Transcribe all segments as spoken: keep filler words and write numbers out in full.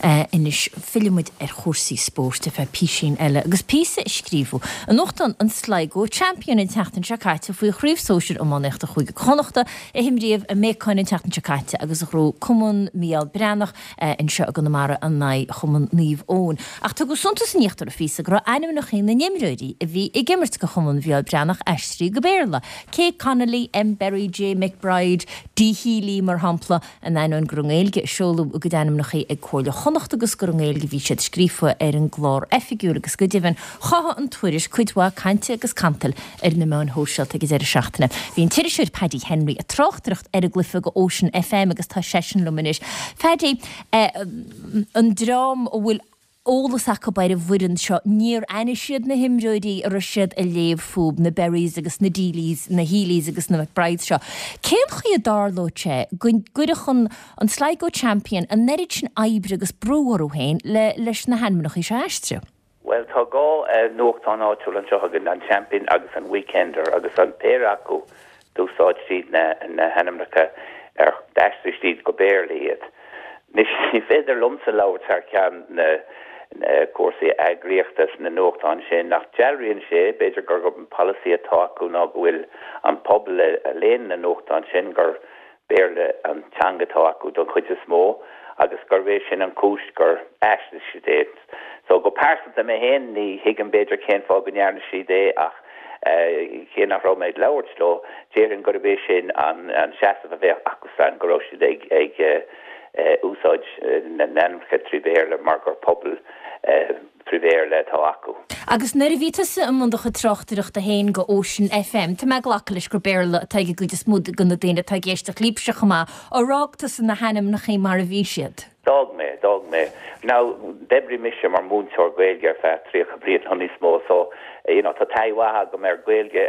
Anois fillfidh muid ar chúrsaí spóirt ar feadh písín eile agus píosa a scríobhadh i nuachtán an Sligo Champion an tseachtain seo caite faoi chraobh sóisir iománaíochta Chúige Chonnachta a himríodh i mBéacáin an tseachtain seo caite agus a ghnóthaigh Cumann Mícheál Breathnach anseo i gConamara in aghaidh Chumann Naomh Eoin. Ach tugadh suntas in íochtar an phíosa go raibh ainmneacha na n-imreoirí a bhí ag imirt do Chumann Mhícheál Breathnach aistrithe go Béarla, K Connolly, M Berry, J McBride, D Healy mar shampla, in ainneoin gur i nGaeilge a seoladh a gcuid ainmneacha ag Comhairle Chonnacht agus gur i nGaeilge a bhí siad scríofa ar an gclár oifigiúil agus go deimhin chothaigh an tuairisc cuid mhaith cainte agus cantail ar na meáin shóisialta ag an deireadh seachtaine. Bhí an t-iriseoir Paddy Henry ag tráchtaireacht ar an gcluiche do Ocean F M agus tá seisean liom anois. Paddy, an dream a bhfuil eolas acu ar an bhfoireann seo, níor aithin siad na himreoirí a raibh siad ag léamh fúthu, na Berrys agus na Deelys, na Healys agus na McBrides seo. Cén chaoi a dtarlódh sé go gcuirfeadh an an Sligo Champion an oiread sin oibre agus brú orthu féin le leis na hainmneacha seo a aistriú? Bhuel, tá dhá nuachtán áitiúil anseo againn, an Champion agus an Weekender, agus an péire acu d'úsáid siad na na hainmneacha ar d'aistrigh siad go Béarla iad. Ní féidir liomsa labhairt thar ceann na cúrsaí eagraíochta sna nuachtáin sin, ach dealraíonn sé b'fhéidir gur an polasaí atá acu ná go bhfuil an pobal a léann na nuachtáin sin gur Béarla an teanga atá acu don chuid is mó agus gur é sin an chúis gur aistrigh siad é. So go pearsanta mé féin ní thuigim b'fhéidir cén fáth go ndearna siad é, ach cé nach raibh mé ag labhairt leo, déarfainn gurb é sin an an seasamh a bheadh acusan, go raibh siad ag ag úsáid na n-ainmneacha trí Bhéarla mar gur pobal trí Bhéarla atá acu. Agus nuair a bhí tusa i mbun do chuid tráchtaireachta féin do Ocean F M, tá mé ag glacadh leis gur Béarla atá ag an gcuid is mó de na daoine atá ag éisteacht libhse chomh maith. Ar fhág tusa na hainmneacha mar a bhí siad? D'fhág mé, d'fhág mé. Now d'oibrigh mise mar mhúinteoir Gaeilge ar feadh tríocha bliain nó níos mó, so you know, tá taithí mhaith agam ar Gaeilge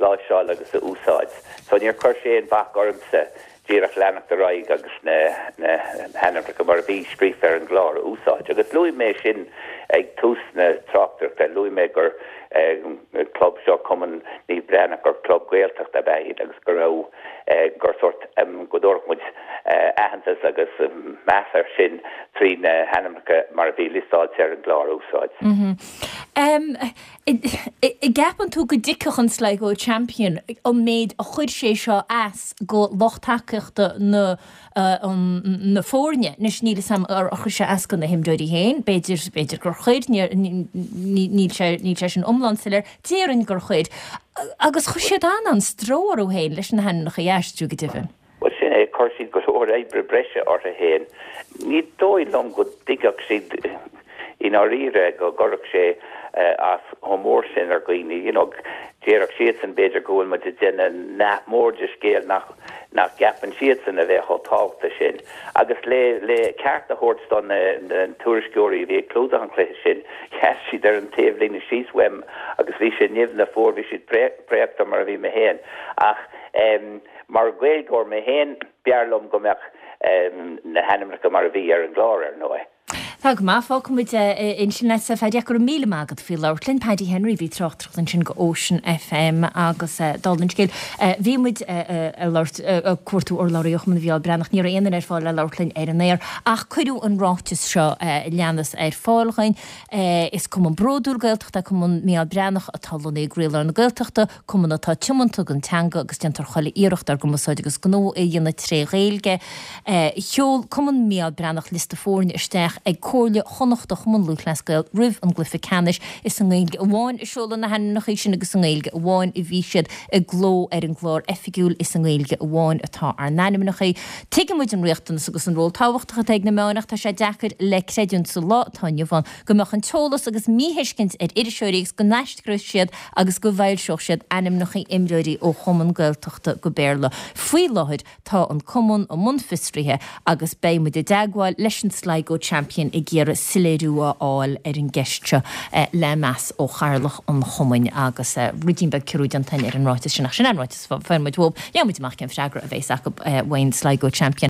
láimhseáil agus a úsáid. So níor chuir sé aon bhac ormsa díreach leanacht ar aghaidh agus na na hainmneacha mar a bhí scríofa ar an gclár a úsáid. Agus luaigh mé sin ag tús na tráchtaireachta, luaigh mé gur club seo, Cumann Naomh Breathnach, gur club Gaeltachta ab ea iad agus go raibh gur sort go dtabharfadh muid aitheantas agus meas air sin trí na hainmneacha mar a bhí liostáilte ar an gclár a úsáid. An gceapann tú go dtuigfeadh an Sligo Champion an méid a chuir sé seo as go lucht tacaíochta na na foirne? Anois níl a fhios agam ar chuir sé as go na himreoirí féin, b'fhéidir b'fhéidir gur chuir, níl sé níl sé sin iomlán soiléir, déarfainn gur chuir. Agus chuir siad an-an-stró orthu féin leis na hainmneacha a aistriú go deimhin. Well, sin é, chuir siad go leor oibre breise orthu féin. Ní dóigh liom go dtuigfeadh siad i ndáiríre go gcuirfeadh sé as chomh mór sin ar dhaoine. You know, déarfadh siadsan b'fhéidir go bhfuil muid ag déanamh nath mór de scéal nach nach gceapann siadsan a bheith chomh tábhachtach sin. Agus le le ceart a thabhairt do na na tuairisceoirí a bhí ag clúdach an chluiche sin, sheas siad ar an taobhlíne síos uaim agus bhí sé nimhneach fuar, bhí siad préachta mar a bhí mé féin. Ach um, mar Ghaeilgeoir mé féin, b'fhearr liom go mbeadh um, na hainmneacha mar a bhí ar an gclár ar ndóigh. Tá go maith, fágfaimid ansin leat, Phaddy, go raibh míle maith agat faoi labhairt linn. Paddy Henry, bhí tráchtaireacht ansin go Ocean F M agus dála an scéil. Bhí muid ag labhairt, ag cuartú urlabhraí ó Chumann Mhícheál Breathnach, ní raibh aon duine ar fáil le labhairt linn ar an aer, ach cuireadh an ráiteas seo leanas ar fáil dhuinn. Is cumann bródúil Gaeltachta Cumann Mícheál Breathnach atá lonnaithe i gcroílár na Gaeltachta, cumann atá tiomanta don teanga agus déantar chuile iarracht ár gcumarsáid agus gnó a dhéanamh tré Ghaeilge. Sheol Cumann Mícheál Breathnach liosta foirne isteach ag Comhairle Chonnachta Chumann Lúthchleas Gael roimh an gcluiche ceannais. Is i nGaeilge amháin a seoladh na hainmneacha sin agus i nGaeilge amháin a bhí siad i gcló ar an gclár oifigiúil. Is i nGaeilge amháin atá ár n-ainmneacha. Tuigimid an riachtanas agus an ról tábhachtach atá ag na meáin, ach tá sé deacair le creidiúint sa lá atá inniu ann go mbeadh an t-eolas agus míthuiscint ar iriseoirí agus go n-aistreodh siad agus go bhfoilseodh siad ainmneacha imreoirí ó chumann Gaeltachta go Béarla. Faoi láthair tá an cumann i mbun fiosraithe agus beidh muid i dteagmháil leis an Sligo Champion ag iarraidh soiléiriú a fháil ar an gceist seo, le meas ó chathaoirleach an chumainn. Agus ruidín beag ciorrú déanta ar an ráiteas sin, ach sin an ráiteas a fuair muid uathu. Gheobhaidh muid amach cén freagra a bheas acu ón Sligo Champion.